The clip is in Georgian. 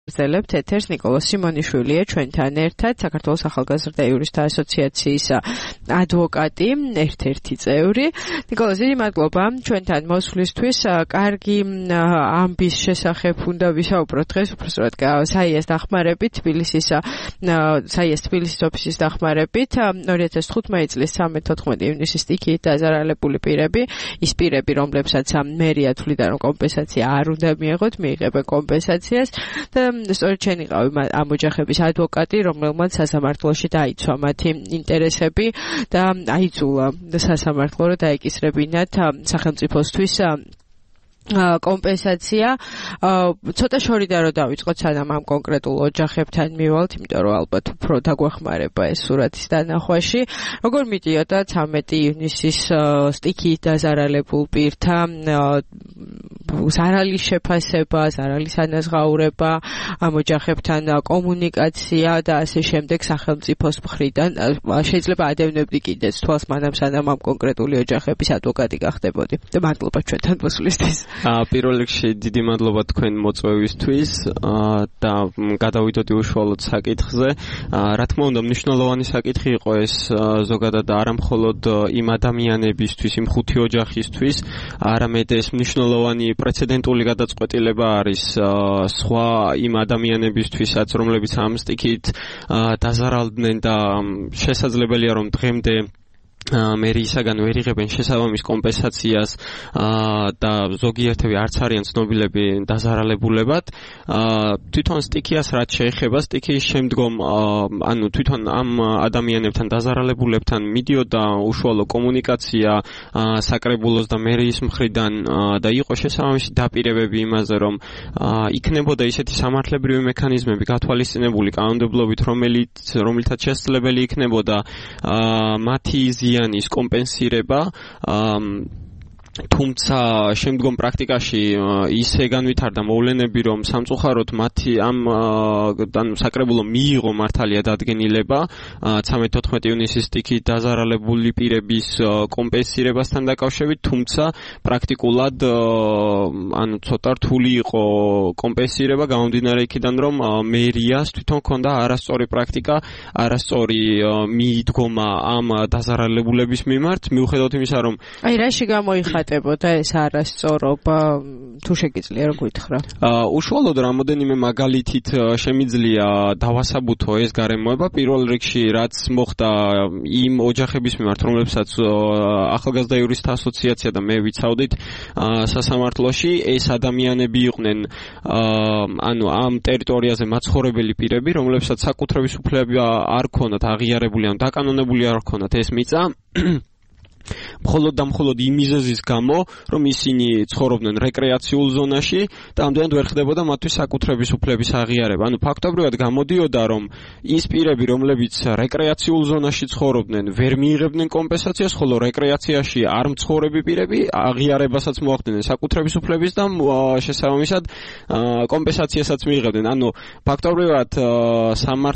ზელებთ ეთერს ნიკოლოზ სიმონიშვილია ჩვენთან ერთად საქართველოს ახალგაზრდა იურისტთა ასოციაციის ადვოკატი, ერთ-ერთი წევრი. ნიკოლოზ, დიდი მადლობა ჩვენთან მოსვლისთვის. კარგი ამბის შესახებ უნდა ვისაუბროთ დღეს, უბრალოდ საიას დახმარებით, თბილისის ოფისის დახმარებით 2015 წლის 13-14 ივნისის სტიქიით დაზარალებული პირები, ის პირები, რომლებსაც მერია თვლიდა, რომ კომპენსაცია არ უნდა მიეღოთ, მიიღებენ კომპენსაციას და სწორედ შენ იყავი ამ ოჯახების ადვოკატი, რომელმაც სასამართლოში დაიცვა მათი ინტერესები და აიძულა სასამართლო რომ დაეკისრებინათ სახელმწიფოსთვის კომპენსაცია. ცოტა შორიდან რომ დავიწყოთ, სანამ ამ კონკრეტულ ოჯახებთან მივალთ, იმიტომ რომ ალბათ უფრო დაგვეხმარება ეს სურათის დანახვაში. როგორ მიდიოდა 13 ივნისის სტიქიით დაზარალებულ პირთა ზარალის შეფასება, ზარალის ანაზღაურება, ამ ოჯახებთან კომუნიკაცია და ასე შემდეგ სახელმწიფოს მხრიდან? შეიძლება ადევნებდი კიდეც თვალს მანამ, სანამ ამ კონკრეტული ოჯახების ადვოკატი გახდებოდი. და მადლობა ჩვენთან მოსვლისთვის. პირველ რიგში დიდი მადლობა თქვენ მოწვევისთვის და გადავიდოდი უშუალოდ საკითხზე. რა თქმა უნდა, მნიშვნელოვანი საკითხი იყო ეს ზოგადად არა მხოლოდ იმ ადამიანებისთვის, იმ ხუთი ოჯახისთვის, არამედ ეს მნიშვნელოვანი პრეცედენტული გადაწყვეტილება არის სხვა იმ ადამიანებისთვისაც, რომლებიც ამ სტიქით დაზარალდნენ და შესაძლებელია რომ დღემდე მერიისაგან ვერ იღებენ შესაბამის კომპენსაციას და ზოგიერთები არც არიან ცნობილები დაზარალებულებად. თვითონ სტიქიას რაც შეეხება, სტიქიის შემდგომ ანუ თვითონ ამ ადამიანებთან დაზარალებულებთან მიდიოდა უშუალო კომუნიკაცია საკრებულოს და მერიის მხრიდან და იყო შესაბამისი დაპირებები იმაზე, რომ იქნებოდა ისეთი სამართლებრივი მექანიზმები გათვალისწინებული კანონმდებლობით, რომელთაც შესაძლებელი იქნებოდა მათი ზიანის კომპენსირება, თუმცა შემდგომ პრაქტიკაში ისე განვითარდა მოვლენები, რომ სამწუხაროდ მათი ამ საკრებულო მიიღო მართალია დადგენილება 13-14 ივნისის სტიქით დაზარალებული პირების კომპენსირებასთან დაკავშირებით, თუმცა პრაქტიკულად ანუ ცოტა რთული იყო კომპენსირება, გამომდინარე იქიდან, რომ მერიას თვითონ ჰქონდა არასწორი პრაქტიკა, არასწორი მიდგომა ამ დაზარალებულების მიმართ, მიუხედავად იმისა, რომ რაში გამოიხატა ეს არასწორობა, თუ შეგიძლია რომ გითხრა? უშუალოდ რამოდენიმე მაგალითით შემიძლია დავასაბუთო ეს გარემოება. პირველ რიგში რაც მოხდა იმ ოჯახების მიმართ, რომლებსაც ახალგაზრდა იურისტთა ასოციაცია და მე ვიცავდით სასამართლოში, ეს ადამიანები იყვნენ ანუ ამ ტერიტორიაზე მაცხოვრებელი პირები, რომლებსაც საკუთრების უფლება არ ქონდათ აღიარებული, ან დაკანონებული არ ქონდათ ეს მიწა. მხოლოდ და მხოლოდ იმ მიზეზის გამო, რომ ისინი ცხოვრობდნენ რეკრეაციულ ზონაში და ამდენად ვერ ხდებოდა მათთვის საკუთრების უფლების აღიარება. ანუ ფაქტობრივად გამოდიოდა, რომ ის პირები, რომლებიც რეკრეაციულ ზონაში ცხოვრობდნენ, ვერ მიიღებდნენ კომპენსაციას, ხოლო რეკრეაციაში არ მცხოვრები პირები აღიარებასაც მოახდინნენ საკუთრების უფლების და შესაბამისად კომპენსაციასაც მიიღებდნენ. ანუ ფაქტობრივად